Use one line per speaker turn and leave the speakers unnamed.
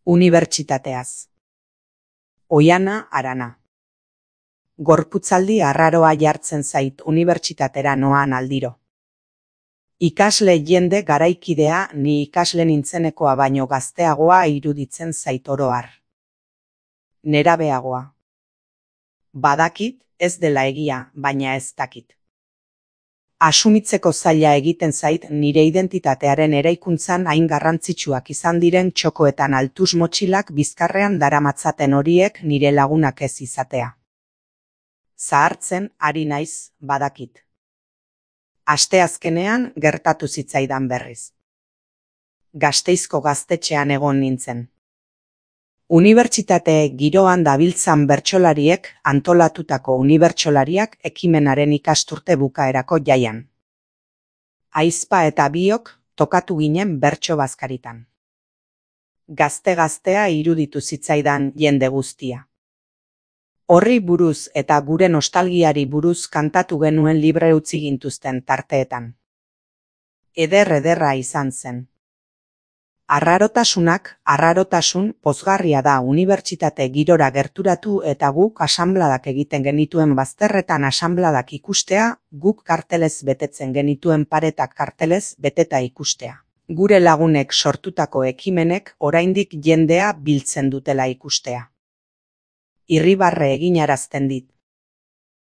Unibertsitateaz. Oihana Arana. Gorputzaldi arraroa jartzen zait unibertsitatera noan aldiro. Ikasle jende garaikidea ni ikasle nintzenekoa baino gazteagoa iruditzen zait oro har. Nerabeagoa. Badakit, ez dela egia, baina ez dakit. Asumitzeko zaila egiten zait nire identitatearen eraikuntzan hain garrantzitsuak izan diren txokoetan altus motxilak bizkarrean daramatzaten horiek nire lagunak ez izatea. Zahartzen ari naiz, badakit. Asteazkenean gertatu zitzaidan berriz. Gasteizko gaztetxean egon nintzen. Unibertsitate giroan dabiltzan bertsolariek antolatutako unibertsolariak ekimenaren ikasturte bukaerako jaian. Aizpa eta biok tokatu ginen bertso bazkaritan. Gazte-gaztea iruditu zitzaidan jende guztia. Horri buruz eta gure nostalgiari buruz kantatu genuen libre utzi gintuzten tarteetan. Ederra izan zen. Arrarotasun pozgarria da unibertsitate girora gerturatu eta guk asanbladak egiten genituen bazterretan asanbladak ikustea, guk kartelez betetzen genituen paretak kartelez beteta ikustea. Gure lagunek sortutako ekimenek oraindik jendea biltzen dutela ikustea. Irribarre eginarazten dit.